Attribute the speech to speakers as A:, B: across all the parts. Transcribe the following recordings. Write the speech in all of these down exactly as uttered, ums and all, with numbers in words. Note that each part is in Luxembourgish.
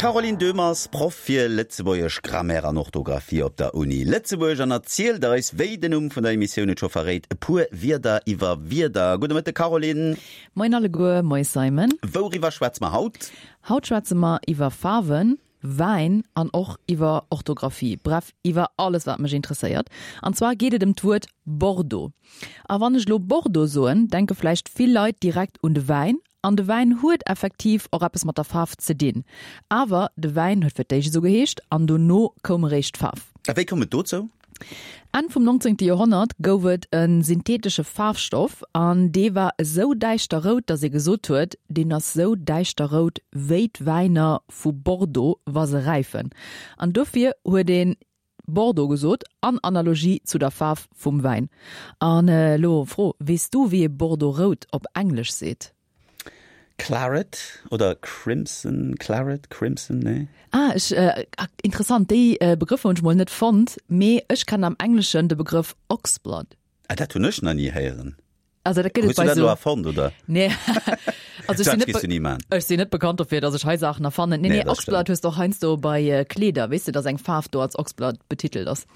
A: D'Caroline Döhmer ass Proff fir Lëtzebuergesch Grammaire an Orthografie op der Uni Lëtzebuerg an erzielt eis, wéi den Numm vun der Emissioun et scho verréit, e puer Wierder iwwer Wierder. Gudde Mëtte Caroline.
B: Moien alleguer, moie Simon.
A: Wouriwwer schwätze mer haut?
B: Haut schwätze mer iwwer Faarwen, Wäin an och iwwer Orthografie, bref iwwer alles wat mech interesséiert. An zwar geet et ëm d'Wuert Bordeaux. A wann ech elo Bordeaux soen, denke vläicht vill Leit direkt un de Wäin. An de Wäin huet effektiv och eppes mat der Faarf ze dinn. Awer de Wäin huet fir d'éischt esou geheescht an dono koum eréischt d'Faarf.
A: A wéi koum et dozou?
B: Enn vum nonzéngte Joerhonnert gouf et e syntheetesche Faarfstoff an dee war esou däischter rout, datt ee gesot huet, deen ass sou däischter rout wéi d'Wäiner vu Bordeaux, wa se räifen. An dofir huet een Bordeaux gesot, an Analogie zu der Faarf vum Wäin. An elo Fro, Weess du, wéi ee Bordeaux rout op Englesch seet?
A: Claret oder Crimson, Claret, Crimson, nee?
B: Ah, ech, interessant, déi Begrëffer hunn ech mol net fonnt, mee ech kennen am Engleschen de Begrëff Oxblood.
A: Ah, dat hunn ech nach ni héieren.
B: Also dat gëtt et
A: bei
B: so.
A: Hues du dat elo erfonnt, oder?
B: Nee. Also ech sinn net,
A: ni man.
B: Ech sinn net bekannt dofir, datt ech hei Saachen erfannen. Nee, nee, Oxblood hues de och heiansdo bei Kleeder, weess de, datt eng Faarf do als Oxblood betitelt ass.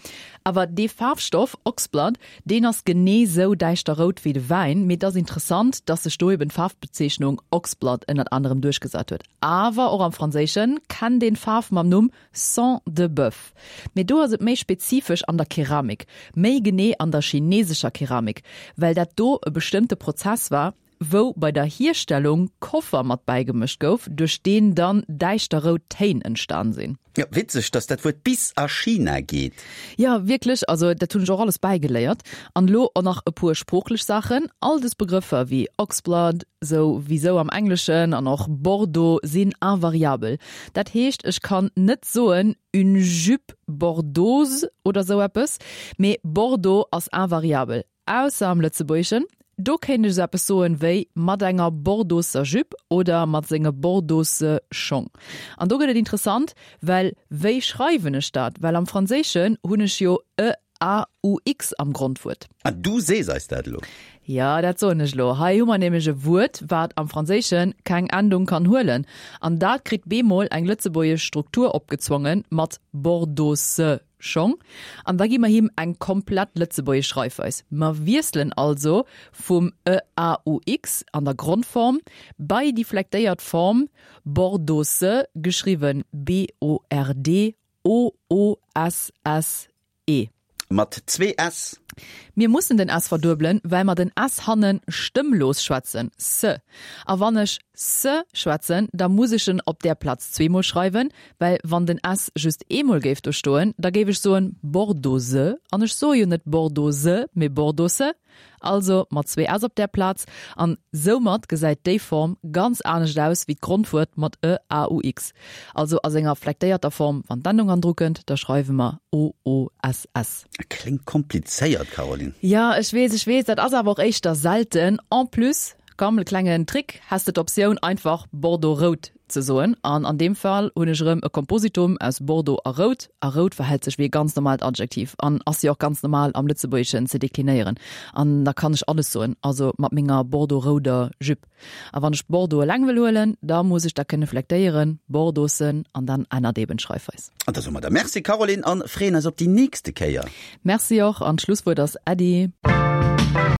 B: Awer dee Faarfstoff Oxblood, deen ass genee sou däischter rout wéi de Wäin, mee et ass interessant, datt sech do eben d'Faarfbezeechnung Oxblood ënnert anerem duerchgesat huet. Awer och am Franséische kennt een d'Faarf mam Numm Sang de boeuf. Mee do ass et méi spezifesch an der Keramik, méi genee an der chinesescher Keramik, well dat do e bestëmmte Prozess war, wou bei der Hierstellung Koffer mat bäigemëscht gouf, duerch deen dann däischter rout Téin entstan sinn.
A: Jo, witzeg, dass dat Wuert bis a China geet.
B: Jo, wierklech, also dat hunn ech och alles bäigeléiert. An elo och nach e puer sproochlech Saachen, All des Begrëffer wéi Oxblood, sou wéi sou am Engleschen, an och Bordeaux sinn invariabel. Dat heescht, ech kann net soen une jupe bordeauxse oder sou eppes, mee Bordeaux ass invariabel. Ausser am Lëtzebuergeschen, do kéint ech esou eppes soen wéi mat enger bordeauxer Jupe oder mat senge bordeauxe Schong. An do gëtt et interessant, well wéi schreiwen ech dat? Well am Franséischen hunn ech jo e a u x am Grondwuert.
A: An du sees eis dat elo?
B: Jo, dat soen ech elo. Hei hu mer nämlech e Wuert, wat am Franséische keng Endung kann huelen. An dat kritt bemol eng lëtzebuergesch Struktur opgezwongen mat bordeauxe Schong. An da gi mer him eng komplett lëtzebuergesch Schreifweis. Mer wiesselen also vum e a u x an der Grondform bei déi flektéiert Form Bordeauxse, geschriwwen b o r d o o s s e.
A: Mat zwee s.
B: Mir mussen den s verduebelen, well mer den s hanne stëmmlos schwätzen, s. A wann ech s schwätzen, da muss ech en op där Plaz zweemol schreiwen, well wann den s just eemol géif do stoen, da géif ech soen Bordeauxse, an ech soe jo net Bordeauxse, mee Bordeauxse. Also mat zwee s op där Plaz. An soumat gesäit déi Form ganz anescht aus wéi d'Grondwuert mat e, a, u, x. Also a senger flektéierter Form, wann d'Endung andru kënnt, da schreiwe mer o, o, s, s.
A: Kléngt komplizéiert, Caroline.
B: Jo, ech weess, ech weess, dat ass awer och éischter selten. En plus, komm, e klengen Trick, häss de d'Optioun einfach Bordeaux rout ze soen. An an deem Fall hunn ech erëm e Kompositum aus Bordeaux a rout. A rout verhält sech wéi e ganz normalt Adjektiv an ass jo och ganz normal am Lëtzebuergeschen ze deklinéieren. An da kann ech alles soen, also mat menger Bordeaux-rouder Jupe. A wann ech Bordeaux eleng wëll huelen, da muss ech dat kënne flektéieren, Bordeauxen, an dann ännert eben d'Schreifweis.
A: An da soe mer der Merci, Caroline, an freeën eis op déi nächste Kéier.
B: Merci och, an d'Schlusswuert ass Äddi.